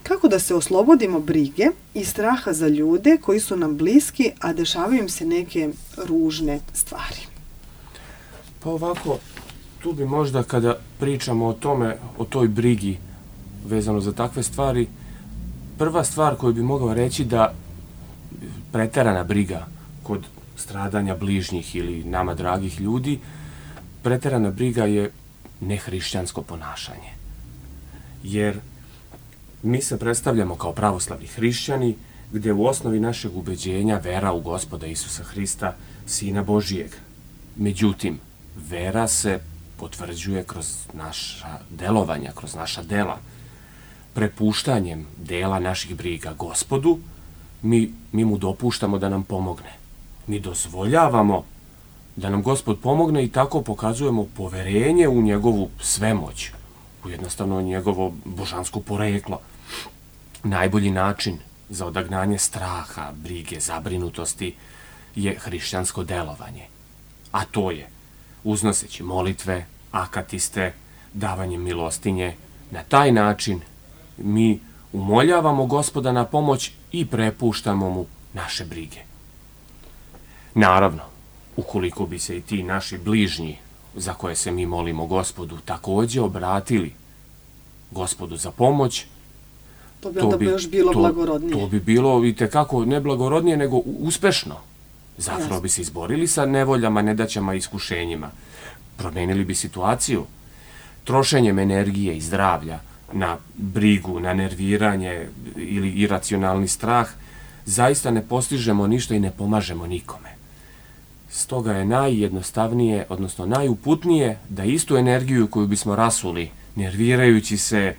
Kako da se oslobodimo brige i straha za ljude koji su nam bliski, a dešavaju im se neke ružne stvari? Pa ovako, tu bi možda kada pričamo o tome, o toj brigi vezano za takve stvari, prva stvar koju bi mogao reći da preterana briga kod stradanja bližnjih ili nama dragih ljudi, preterana briga je nehrišćansko ponašanje. Jer mi se predstavljamo kao pravoslavni hrišćani, gde u osnovi našeg ubeđenja vera u Gospoda Isusa Hrista, Sina Božijeg. Međutim, vera se potvrđuje kroz naša delovanja, kroz naša dela. Prepuštanjem dela naših briga Gospodu, mi mu dopuštamo da nam pomogne. Mi dozvoljavamo da nam Gospod pomogne i tako pokazujemo poverenje u njegovu svemoć, u jednostavno njegovo božansko poreklo. Najbolji način za odagnanje straha, brige, zabrinutosti je hrišćansko delovanje. A to je uznoseći molitve, akatiste, davanjem milostinje. Na taj način mi umoljavamo Gospoda na pomoć i prepuštamo mu naše brige. Naravno, ukoliko bi se i ti naši bližnji za koje se mi molimo Gospodu takođe obratili Gospodu za pomoć, to bi onda još bilo blagorodnije. To bi bilo i tekako ne blagorodnije, nego uspešno. Zapravo bi se izborili sa nevoljama, nedaćama i iskušenjima. Promenili bi situaciju. Trošenjem energije i zdravlja na brigu, na nerviranje ili iracionalni strah, zaista ne postižemo ništa i ne pomažemo nikome. Stoga je najjednostavnije, odnosno najuputnije da istu energiju koju bismo rasuli, nervirajući se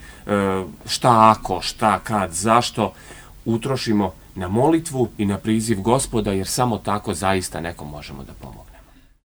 šta ako, šta kad, zašto, utrošimo na molitvu i na priziv Gospoda, jer samo tako zaista nekom možemo da pomogne.